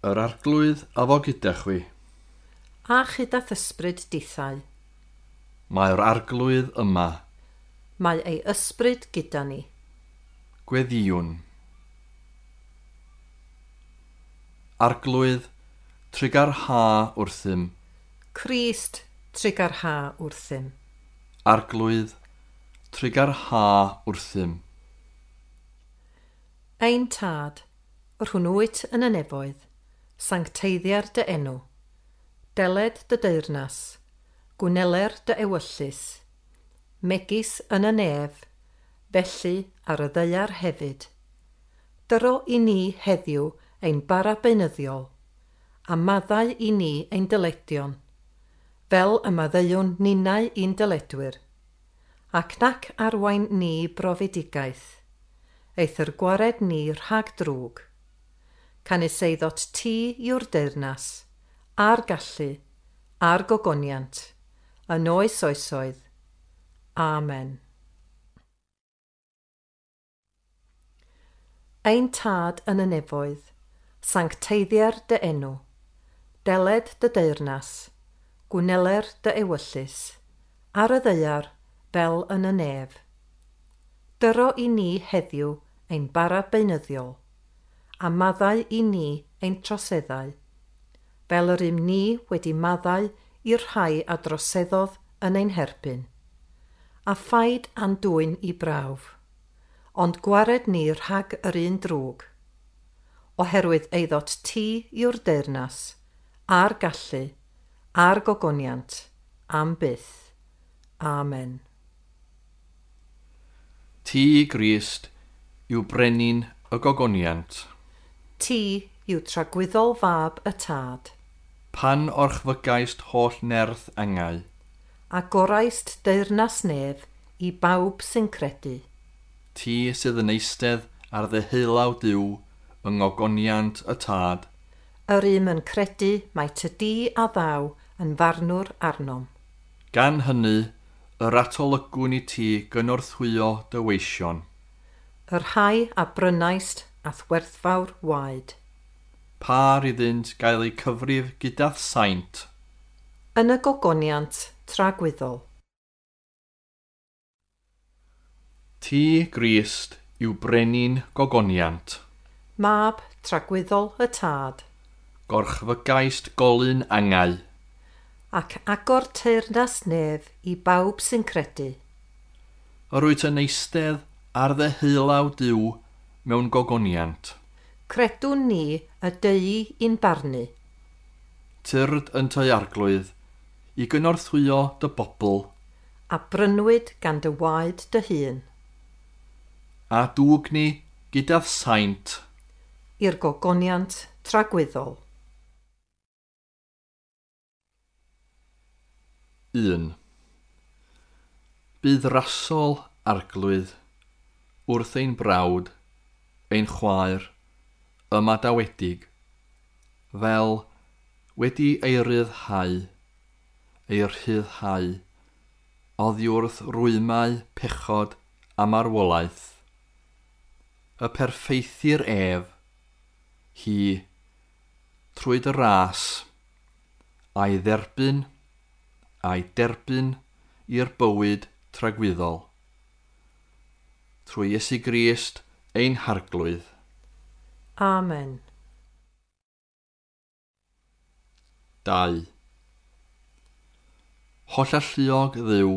Yr Arglwydd a fo gyda chwi. A chyda ysbryd dithau. Mae'r Arglwydd yma. Mae ei ysbryd gyda ni. Gweddïwn. Arglwydd, trugarha wrthym. Crist, trugarha wrthym. Arglwydd, trugarha wrthym. Ein Tad, yr hwn wyt yn y nefoedd, sancteiddier dy enw. Deled dy deyrnas, gwneler dy ewyllys, megis yn y nef, felly ar y ddaear hefyd. Dyro i ni heddiw ein bara beunyddiol, a maddau i ni ein dyledion, fel y maddeuwn ninnau i'n dyledwyr, ac nac arwain ni brofedigaeth, eithr gwared ni rhag drwg. Canys eiddot ti yw'r deyrnas, a'r gallu, a'r gogoniant, yn oes oesoedd. Amen. Ein Tad yn y nefoedd, sancteiddier dy enw, deled dy deyrnas, gwneler dy ewyllys, ar y ddaear fel yn y nef. Dyro i ni heddiw ein bara beunyddiol, a maddau i ni ein troseddau, fel yr ym ni wedi maddau i'r rhai a droseddodd yn ein herbyn. A phaid a'n dwyn i brawf, ond gwared ni rhag yr un drwg. Oherwydd eiddot ti yw'r deyrnas, a'r gallu, a'r gogoniant, am byth. Amen. Ti, Grist, yw brenin y gogoniant. Ti yw tragwyddol fab y Tad. Pan orchfygaist holl nerth angau. A goraist deyrnas nef i bawb sy'n credu. Ti sydd yn eistedd ar ddeheulaw Duw yng ngogoniant y Tad. Yr un yn credu mai ty di a ddaw yn farnwr arnom. Gan hynny, yr atolygwn i ti gynorthwyo dy weision. Y rhai a brynaist a'th werthfawr waed. Par iddynt gael eu cyfrif gyda'r saint. Yn y gogoniant tragwyddol. Ti, Grist, yw brenin gogoniant. Mab tragwyddol y Tad. Gorchfygaist golyn angau. Ac agor teyrnas nef i bawb sy'n credu. Yr wyt yn eistedd ar ddeheulaw Duw mewn gogoniant. Credwn ni y deui i'n barnu. Tyrd yn tŷ Arglwydd, i gynorthwyo dy bobl. A brynwyd gan dy waed dy hun. A dwg ni gyda'r saint. I'r gogoniant tragwyddol. 1. Bydd rasol Arglwydd wrth ein brawd, ein chwaer, ymadawedig, fel wedi ei ryddhau, ei rhyddhau, oddi wrth rwymau pechod a marwolaeth. Y perffeithir ef, hi, trwy dy ras, a'i dderbyn i'r bywyd tragwyddol. Trwy Iesu Grist ein Harglwydd. Amen. 2. Hollalluog Dduw,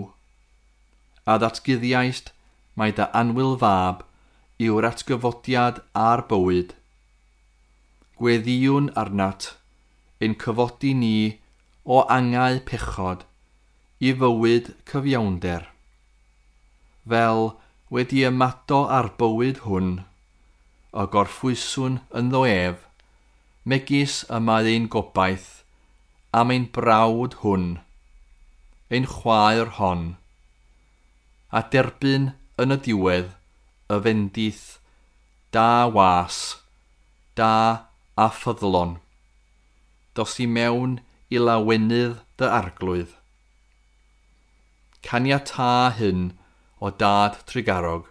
a ddatguddiaist mai dy annwyl fab yw'r atgyfodiad a'r bywyd. Gweddïwn arnat ein cyfodi ni o angau pechod i fywyd cyfiawnder. Fel wedi ymado â'r bywyd hwn, y gorffwyswn ynddo ef, megis y mae ein gobaith am ein brawd hwn, ein chwaer hon, a derbyn yn y diwedd y fendith da was, da a ffyddlon. Dos i mewn i lawenydd dy Arglwydd. Caniatâ hyn o Dad trugarog,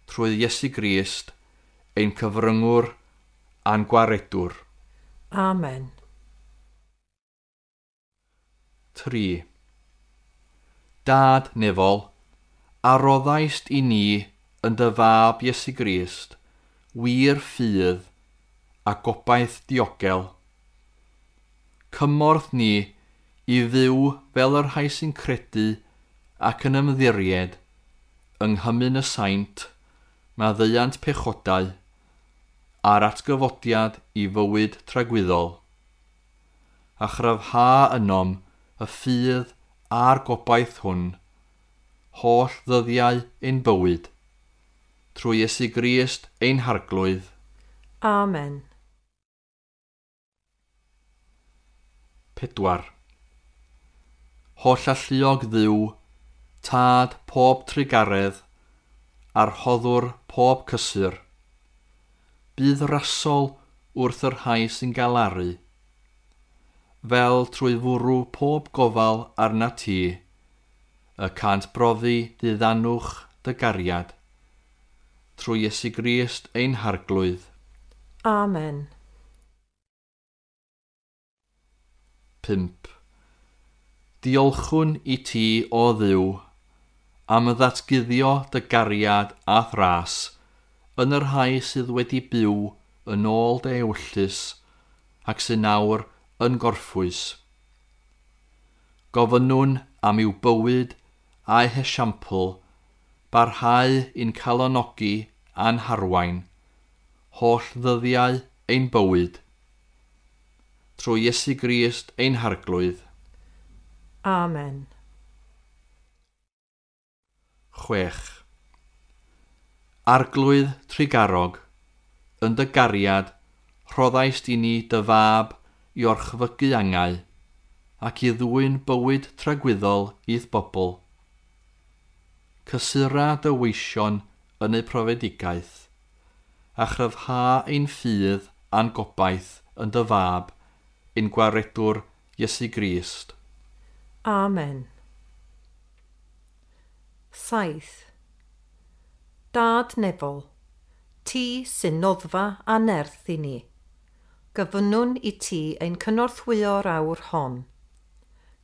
trwy Iesu Grist, ein cyfryngwr a'n gwaredwr. Amen. 3. Dad nefol, a roddaist i ni yn dy fab Iesu Grist, wir ffydd a gobaith diogel. Cymorth ni i fyw fel yr rhai sy'n credu ac yn ymddiried yng nghymun y saint, maddeuant pechodau, a'r atgyfodiad i fywyd tragwyddol. A chryfha ynom y ffydd a'r gobaith hwn, holl ddyddiau ein bywyd, trwy Iesu Grist ein Harglwydd. Amen. 4. Holl alluog Dduw, tad pob trugaredd, a'r rhoddwr pob cysur. Bydd rasol wrth yr rhai sy'n galaru, fel trwy fwrw pob gofal arna ti, y cant brofi ddiddanwch dy gariad, trwy Iesu Grist ein Harglwydd. Amen. 5. Diolchwn i ti, o Dduw, am ddatguddio dy gariad a thras yn y rhai sydd wedi byw yn ôl dy ewyllys ac sy'n nawr yn gorffwys. Gofynnwn am i'w bywyd a'u hesiampl barhau i'n calonogi a'n harwain, holl ddyddiau ein bywyd. Trwy Iesu Grist ein Harglwydd. Amen. 6. Arglwydd trugarog, yn dy gariad, rhoddaist i ni dy fab i orchfygu angau, ac i ddwyn bywyd tragwyddol i'th bobl. Cysura dy weision yn eu profedigaeth, a chryfha ein ffydd a'n gobaith yn dy fab, ein gwaredwr Iesu Grist. Amen. 7. Dad nefol, ti sy'n noddfa a nerth i ni. Gofynnwn i ti ein cynorthwyo'r awr hon.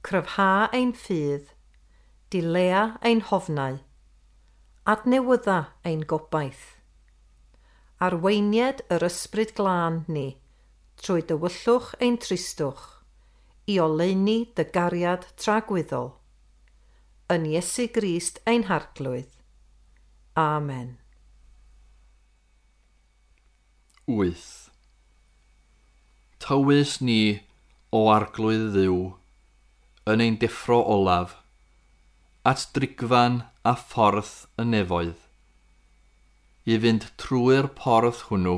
Cryfha ein ffydd, dilea ein hofnau, adnewydda ein gobaith. Arweinied yr ysbryd glân ni, trwy dywyllwch ein tristwch, i oleuni dy gariad tragwyddol. Yn Iesu Grist ein Harglwydd. Amen. 8. Tywys ni, o Arglwydd Dduw, yn ein deffro olaf, at drigfan a ffordd y nefoedd, i fynd trwy'r porth hwnnw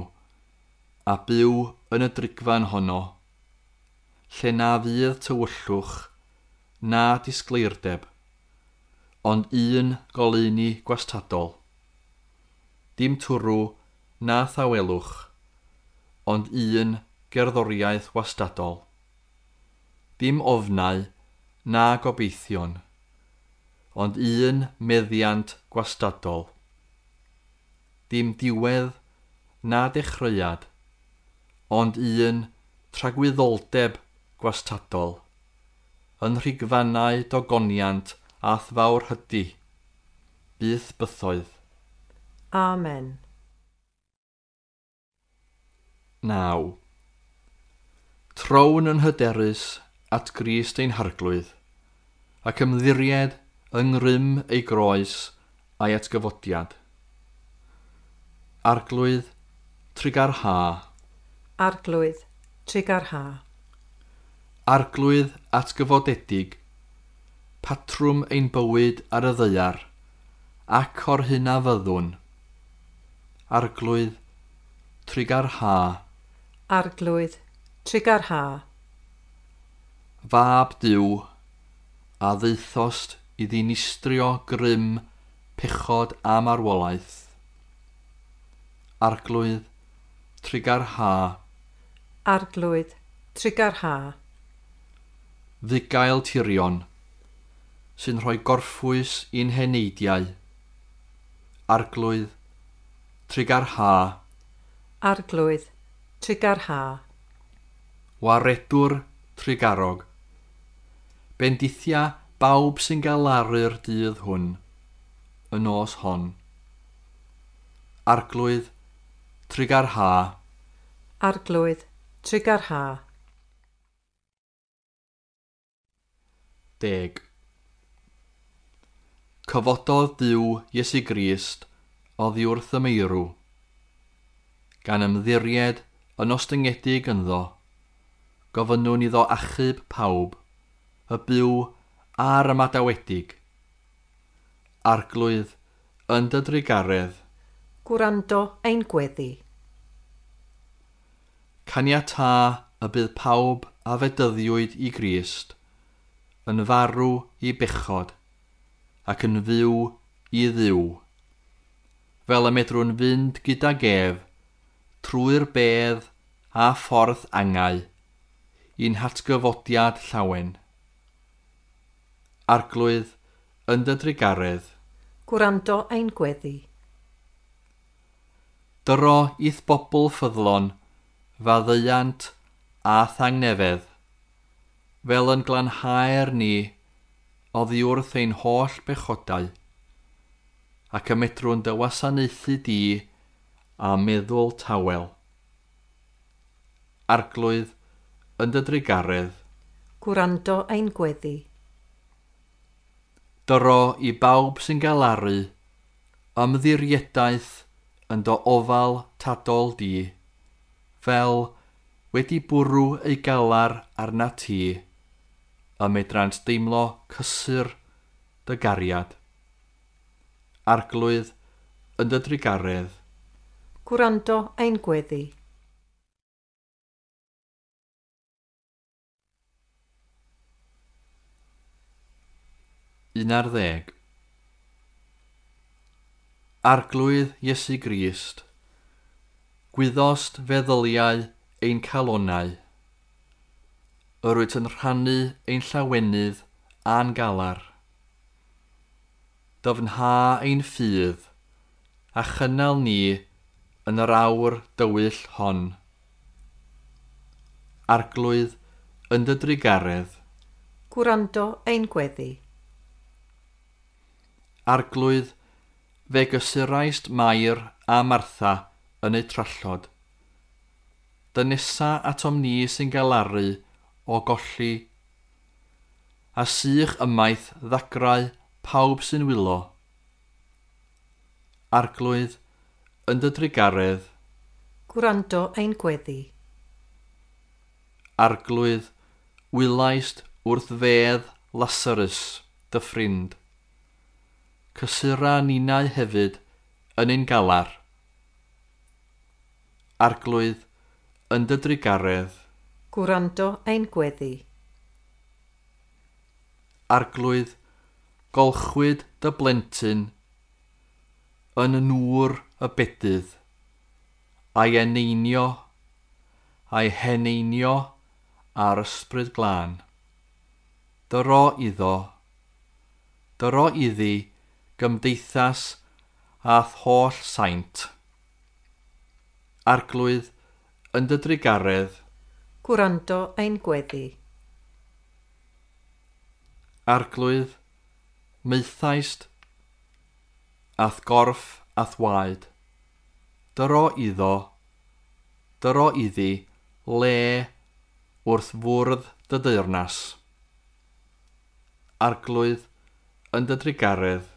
a byw yn y drigfan honno, lle na fydd tywyllwch na disgleirdeb, ond un goleuni gwastadol. Dim twrw na thawelwch, ond un gerddoriaeth wastadol. Dim ofnau na gobeithion, ond un meddiant gwastadol. Dim diwedd na dechreuad, ond un tragwyddoldeb gwastadol, yn rhigfannau dogoniant a thfawr hydi, byth bythoedd. Amen. 9. Trown yn hyderus at Grist ein Harglwydd, ac ymddiried yng ngrym ei groes a'i atgyfodiad. Arglwydd, trugarha. Arglwydd, trugarha. Arglwydd atgyfodedig, patrwm ein bywyd ar y ddaear, ac o'r hyn a fyddwn. Arglwydd, trugarha. Arglwydd, trugarha. Fab Duw, a ddaethost i ddinistrio grym, pechod a marwolaeth. Arglwydd, trugarha. Arglwydd, trugarha. Fugail tirion, sy'n rhoi gorffwys i'n heneidiau. Arglwydd, trugarha. Arglwydd, trugarha. Waredwr trugarog, bendithia bawb sy'n galaru'r dydd hwn, y nos hon. Arglwydd, trugarha. Arglwydd, trugarha. 10. Cyfododd Duw Iesu Grist oddi wrth y meirw, gan ymddiried yn ostyngedig ynddo, gofynnwn iddo achub pawb, y byw a'r ymadawedig. Arglwydd, yn dy drugaredd. Gwrando ein gweddi. Caniatâ y bydd pawb a fedyddiwyd i Grist yn farw i bechod ac yn fyw i Dduw, fel y medrwn fynd gydag ef trwy'r bedd a ffordd angau i'n hatgyfodiad llawen. Arglwydd, yn dy drugaredd. Gwrando ein gweddi. Dyro i'th bobl ffyddlon, faddeuant a thangnefedd, fel yn glanhaer ni oddi wrth ein holl bechodau, ac y medrwn dy wasanaethu di a meddwl tawel. Arglwydd, yn dy drugaredd. Gwrando ein gweddi. Dyro i bawb sy'n galaru, ymddiriedaeth yn dy ofal tadol di, fel wedi bwrw ei galar arna ti, y medrant deimlo cysur dy gariad. Arglwydd, yn dy drugaredd. Gwrando ein gweddi. 11. Arglwydd Iesu Grist, gwyddost feddyliau ein calonnau. Yr wyt yn rhannu ein llawenydd a'n galar. Dyfnha ein ffydd, a chynnal ni yn yr awr dywyll hon. Arglwydd, yn dy drugaredd. Gwrando ein gweddi. Arglwydd, fe gysuraist Mair a Martha yn eu trallod. Dynesa atom ni sy'n galaru o golli, a sych ymaith ddagrau pawb sy'n wylo. Arglwydd, yn dy drugaredd. Gwrando ein gweddi. Arglwydd, wylaist wrth fedd Lazarus, dy ffrind. Cysura ninau hefyd yn ein galar. Arglwydd, yn dy drugaredd. Gwrando ein gweddi. Arglwydd, golchwyd dy blentyn yn nŵr y bedydd, a'i eneinio, a'i heneinio ar ysbryd glân. Dyro iddo, dyro iddi gymdeithas a'th holl saint. Arglwydd, yn dy drugaredd. Gwrando ein gweddi. Arglwydd, maethaist a'th gorff a'th waed. Dyro iddo, dyro iddi le wrth fwrdd dy deyrnas. Arglwydd, yn dy drugaredd.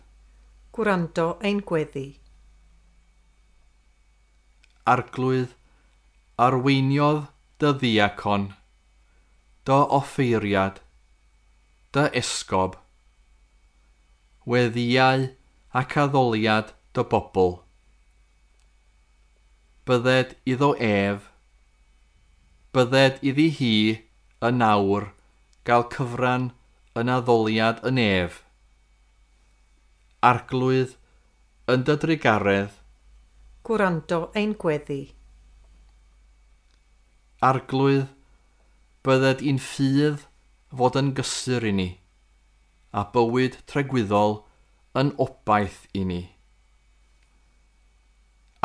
Gwrando ein gweddi. Arglwydd, arweiniodd dy ddiacon, dy offeiriad, dy esgob, weddïau ac addoliad dy bobl. Bydded iddo ef, bydded iddi hi yn awr gael cyfran yn addoliad yn ef. Arglwydd, yn dy drugaredd. Gwrando ein gweddi. Arglwydd, bydded i'n ffydd fod yn gysur i ni, a bywyd tregwyddol yn obaith i ni.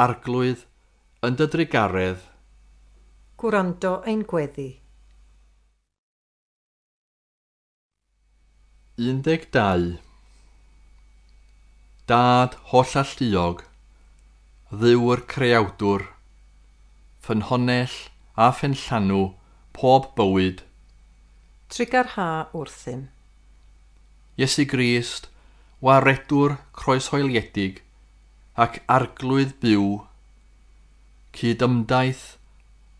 Arglwydd, yn dy drugaredd. Gwrando ein gweddi. 12. Dad hollalluog, Dduw'r creawdwr, ffynhonnell a phenllanw pob bywyd. Trugarha wrthym. Iesu Grist, waredwr croeshoeliedig ac arglwydd byw, cydymdaith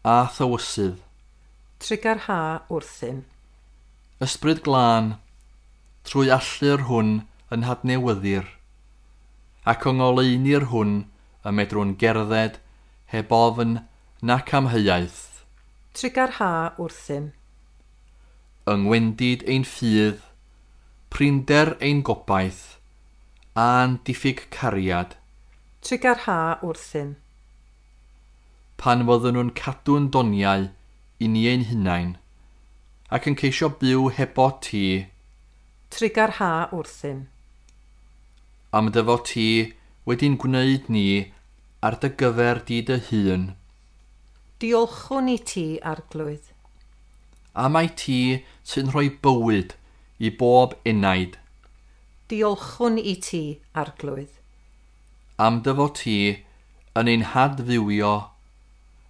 a thywysydd. Trugarha wrthym. Ysbryd glân, trwy allu'r hwn yn hadnewyddir, ac yng ngoleuni'r hwn y medrwn gerdded heb ofn nac amheuaeth. Trugarha wrthym. Yng ngwendid ein ffydd, prinder ein gobaith, a'n diffyg cariad. Trugarha wrthym. Pan fyddwn nhw'n cadw'n doniau i ni ein hunain, ac yn ceisio byw hebo ti. Trugarha wrthym. Am dy fod ti wedi'n gwneud ni ar dy gyfer di dy hun. Diolchwn i ti, Arglwydd. A mai ti sy'n rhoi bywyd i bob enaid. Diolchwn i ti, Arglwydd. Am dy fod ti yn ein hadfywio,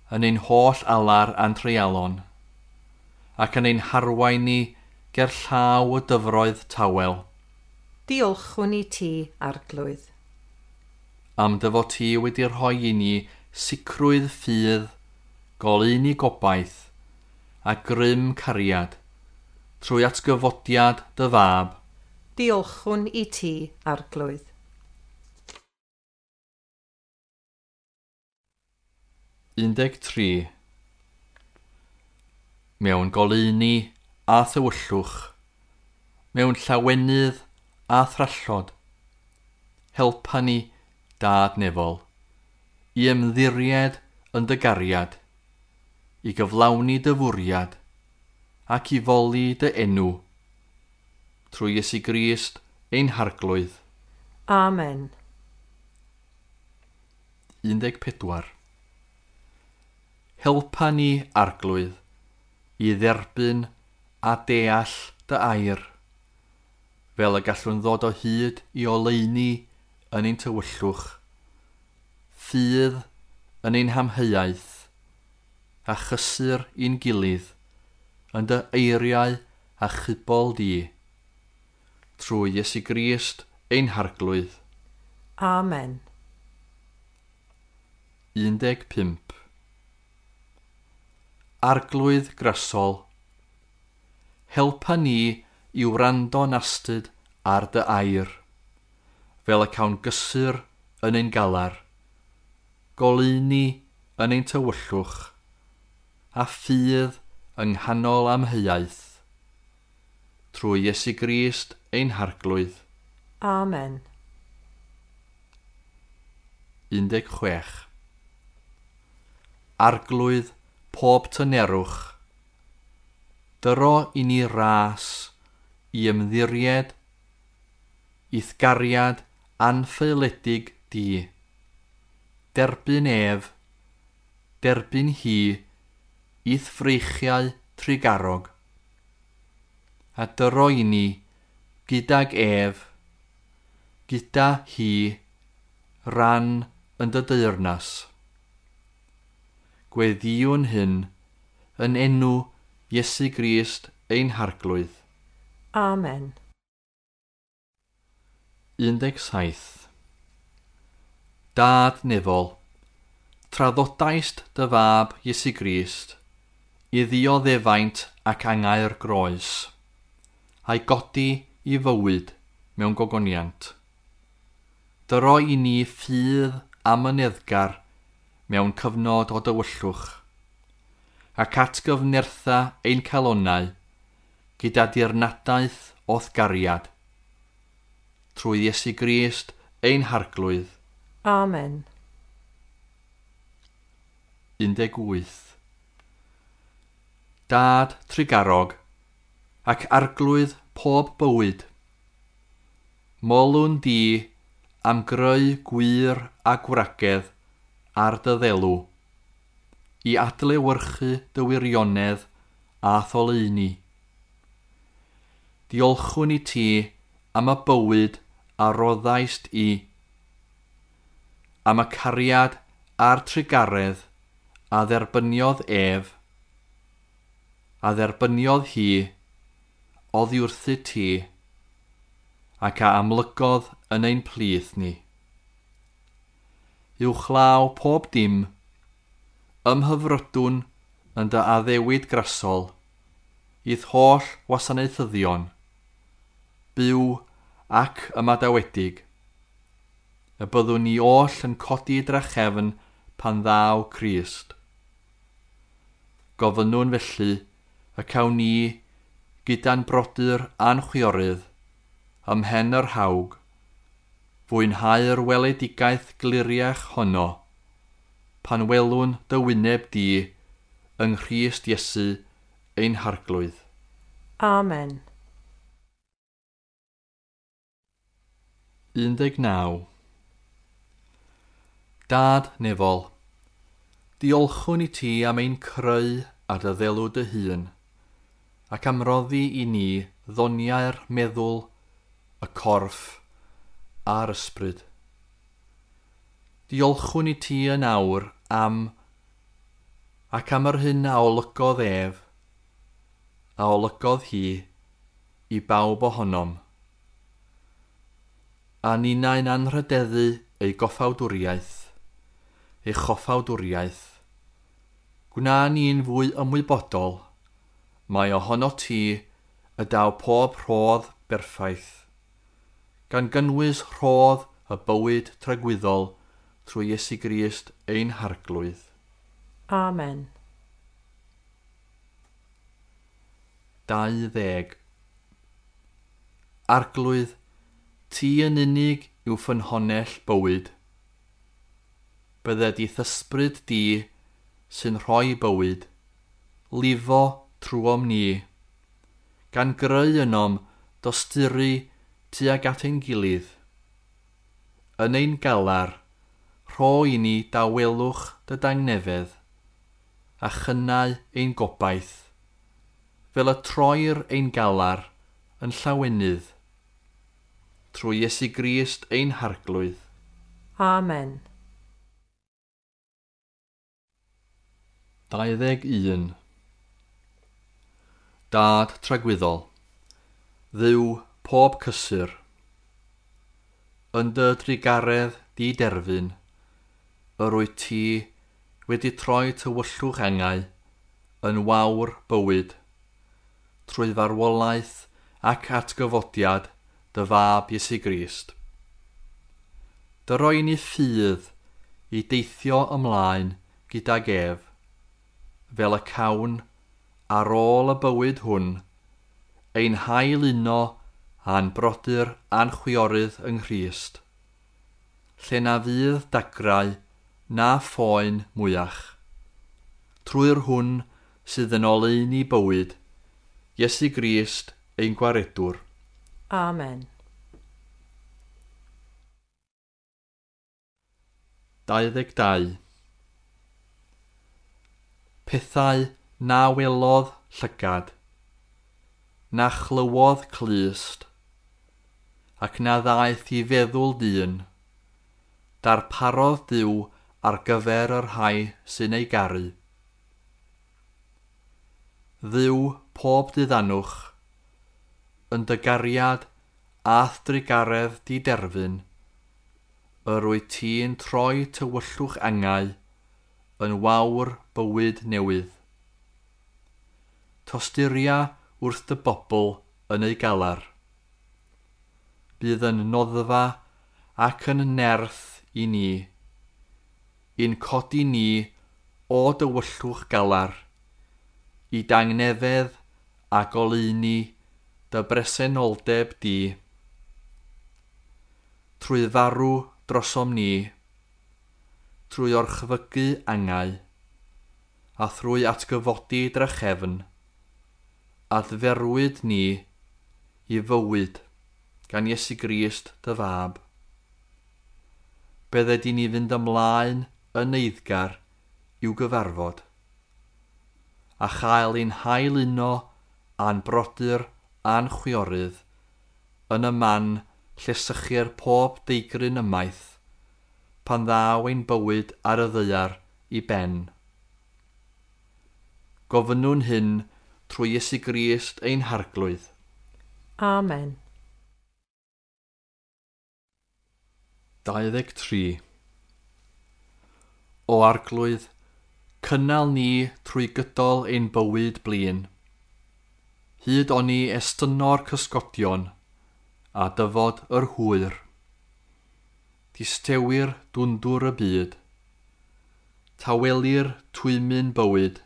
yn ein holl alar a'n treialon, ac yn ein harwain ni ger llaw y dyfroedd tawel. Diolchwn i ti, Arglwydd. Am dy fod ti wedi rhoi i ni sicrwydd ffydd, goleuni gobaith, a grym cariad, trwy atgyfodiad dy fab. Diolchwn i ti, Arglwydd. 13. Mewn goleuni a thywyllwch, mewn llawenydd a thrallod, helpa ni, Dad nefol, i ymddiried yn dy gariad, i gyflawni dy fwriad, ac i foli dy enw, trwy Iesu Grist ein Harglwydd. Amen. 14. Helpa ni, Arglwydd, i dderbyn a deall dy air, fel y gallwn ddod o hyd i oleuni yn ein tywyllwch, ffydd yn ein hamheuaeth, a chysur i'n gilydd yn dy eiriau a chybol di, trwy Iesu Grist ein Harglwydd. Amen. 15. Arglwydd grasol, helpa ni i wrando'n astud ar dy air, fel y cawn gysur yn ein galar, goleuni yn ein tywyllwch, a ffydd yng nghanol amheuaeth, trwy Iesu Grist ein Harglwydd. Amen. 16. Arglwydd pob tynerwch, dyro i ni ras i ymddiried i'th gariad anffaeledig di. Derbyn ef, derbyn hi, i'th freichiau trugarog, a dyro i ni gydag ef, gyda hi, ran yn dy deyrnas. Gweddïwn hyn yn enw Iesu Grist ein Harglwydd. Amen. 17. Dad nefol, traddodaist dy fab Iesu Grist i ddioddefaint ac angau'r groes, a'i godi i fywyd mewn gogoniant. Dyro i ni ffydd amyneddgar mewn cyfnod o dywyllwch, ac atgyfnertha ein calonnau gyda dirnadaeth o'th gariad, trwy Iesu Grist ein Harglwydd. Amen. 18. Dad trugarog ac arglwydd pob bywyd, molwn di am greu gwir a gwragedd ar dy ddelw, i adlewyrchu dy wirionedd a tholeuni. Diolchwn i ti am y bywyd a roddaist i, am y cariad a'r trugaredd a dderbyniodd ef, a dderbyniodd hi oddi wrthyt ti, ac a amlygodd yn ein plith ni. Uwchlaw pob dim, ymhyfrydwn yn dy addewid grasol, i'th holl wasanaethyddion, byw ac ymadawedig, y byddwn ni oll yn codi drachefn pan ddaw Crist. Gofynnwn felly y cawn ni gyda'n brodyr a'n chwiorydd ym mhen yr hawg, fwynhau'r weledigaeth gliriach honno, pan welwn dy wyneb di yng Nghrist Iesu ein Harglwydd. Amen. 19. Dad nefol, diolchwn i ti am ein creu a dy ddelw dy hun, ac am roddi i ni ddoniau'r meddwl, y corff a'r ysbryd. Diolchwn i ti yn awr am ac am yr hyn a olygodd ef, a olygodd hi, i bawb ohonom. A ninnau'n anrhydeddu ei goffawdwriaeth, ei choffawdwriaeth. Gwna ni'n fwy ymwybodol, mai ohono ti y daw pob rhodd berffaith, gan gynnwys rhodd y bywyd tragwyddol trwy Iesu Grist ein Harglwydd. Amen. 20. Arglwydd, ti yn unig yw ffynhonnell bywyd. Bydded i'th ysbryd di sy'n rhoi bywyd, lifo trwom ni, gan greu ynom dosturi tuag at ein gilydd. Yn ein galar, rho i ni dawelwch dy dangnefedd, a chynnau ein gobaith, fel y troir ein galar yn llawenydd, trwy Iesu Grist ein Harglwydd. Amen. 21. Dad tragwyddol, Dduw pob cysur, yn dy drugaredd di derfyn, yr wyt ti wedi troi tywyllwch angau yn wawr bywyd, trwy farwolaeth ac atgyfodiad dy fab Iesu Grist. Dyroi ni ffydd i deithio ymlaen gydag ef, fel y cawn ar ôl y bywyd hwn, ein hail uno a'n brodyr a'n chwiorydd yng Nghrist, lle na fydd dagrau na phoen mwyach. Trwy'r hwn sydd yn oleuni bywyd, Iesu Grist ein Gwaredwr. Amen. 22. Pethau na welodd llygad, na chlywodd clust, ac na ddaeth i feddwl dyn, darparodd Duw ar gyfer y rhai sy'n ei garu. Dduw pob diddanwch, yn dy gariad a'th drugaredd di derfyn, yr wyt ti'n troi tywyllwch angau yn wawr bywyd newydd. Tosturia wrth dy bobl yn ei galar. Bydd yn noddfa ac yn nerth i ni, i'n codi ni o dywyllwch galar, i dangnefedd a goleuni dy bresenoldeb di. Trwy farw drosom ni, trwy orchfygu angau, a thrwy atgyfodi drachefn, adferwyd ni i fywyd gan Iesu Grist dy fab. Bydded i ni fynd ymlaen yn eiddgar i'w gyfarfod, a chael ein hail uno a'n brodyr a'n chwiorydd yn y man lle sychir pob deigryn ymaith, pan ddaw ein bywyd ar y ddaear i ben. Gofynnwn hyn trwy Iesu Grist ein Harglwydd. Amen. 23. O Arglwydd, cynnal ni trwy gydol ein bywyd blin. Hyd oni estynno'r cysgodion a dyfod yr hwyr. Distewir dwndwr y byd. Tawelir twymyn bywyd,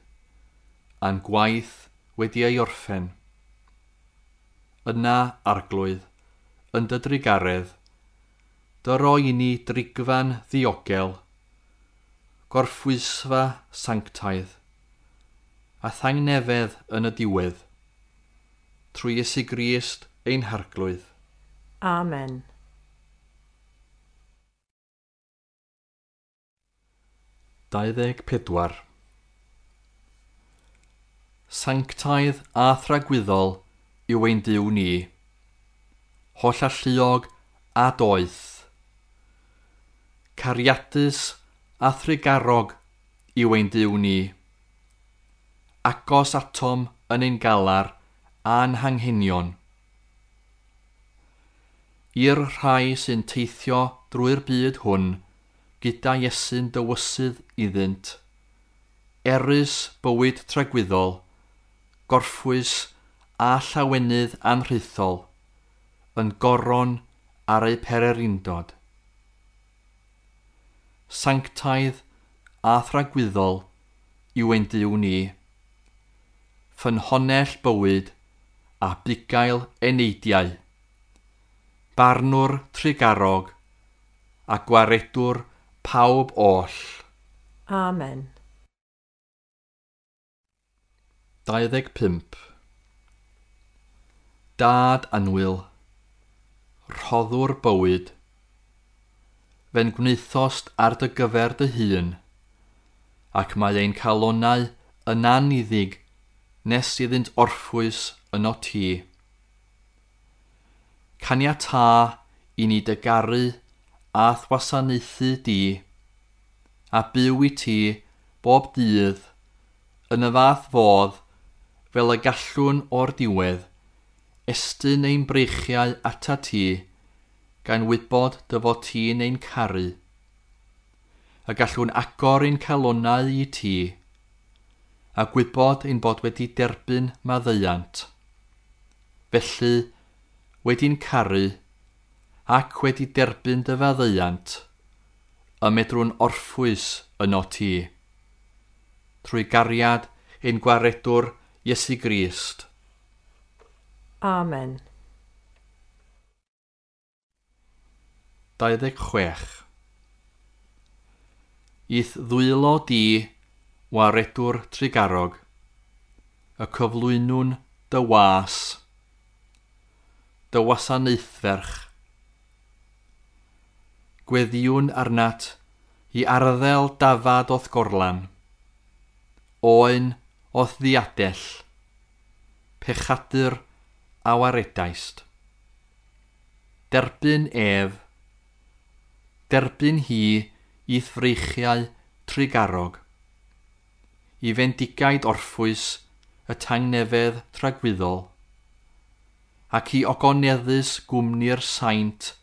a'n gwaith wedi ei orffen. Yna, Arglwydd, yn dy drugaredd, dy roi i ni drigfan ddiogel, gorffwysfa sanctaidd, a thangnefedd yn y diwedd, trwy Iesu Grist ein Harglwydd. Amen. 24. Sanctaidd a thragwyddol yw ein Duw ni, hollalluog a doeth, cariadus a thrugarog yw ein Duw ni, agos atom yn ein galar a'n hanghenion. I'r rhai sy'n teithio drwy'r byd hwn gyda Iesu'n dywysydd iddynt, erys bywyd tragwyddol, gorffwys a llawenydd anrhaethol, yn goron ar eu pererindod. Sanctaidd a thragwyddol yw ein Duw ni, ffynhonnell bywyd a bugail eneidiau, barnwr trugarog a gwaredwr pawb oll. Amen. 25. Dad annwyl, rhoddwr bywyd, fe'n gwnaethost ar dy gyfer dy hun, ac mae ein calonnau yn anniddig nes iddynt orffwys yno ti. Caniatâ i ni dy garu a'th wasanaethu di, a byw i ti bob dydd, yn y fath fodd fel y gallwn o'r diwedd, estyn ein breichiau atat ti, gan wybod dy fod ti'n ein caru. A gallwn agor ein calonnau i ti, a gwybod ein bod wedi derbyn maddeuant. Felly, wedi'n caru, ac wedi derbyn dy faddeuant, y medrwn orffwys yno ti. Trwy gariad ein gwaredwr Iesu Grist. Amen. 26. I'th ddwylo di, waredwr trugarog, y cyflwynwn dy was, dy wasanaethferch. Gweddïwn arnat i arddel dafad o'th gorlan, oen o'th ddiadell, pechadur a waredaist. Derbyn ef, derbyn hi i'th freichiau trugarog, i fendigaid orffwys y tangnefedd tragwyddol, ac i ogoneddus gwmni'r saint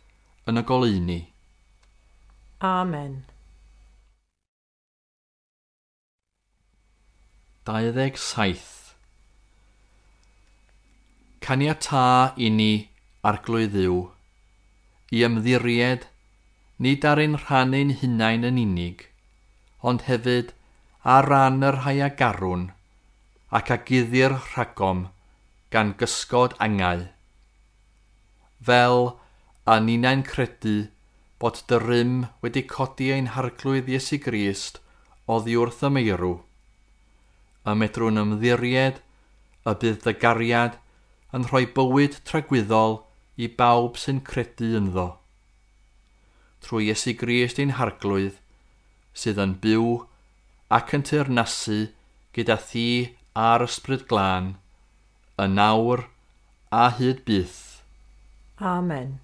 yn y goleuni. Amen. 27. Caniatâ i ni, Arglwydd Dduw, i ymddiried nid ar ein rhan ein hunain yn unig, ond hefyd ar ran y rhai a garwn ac a guddir rhagom gan gysgod angau. Fel a ninnau'n credu bod dy rym wedi codi ein Harglwydd Iesu Grist oddi wrth y meirw, a medrwn ymddiried y bydd dy gariad yn rhoi bywyd tragwyddol i bawb sy'n credu ynddo. Trwy Iesu Grist ein Harglwydd, sydd yn byw ac yn teyrnasu gyda thi a'r Ysbryd Glân, yn awr a hyd byth. Amen.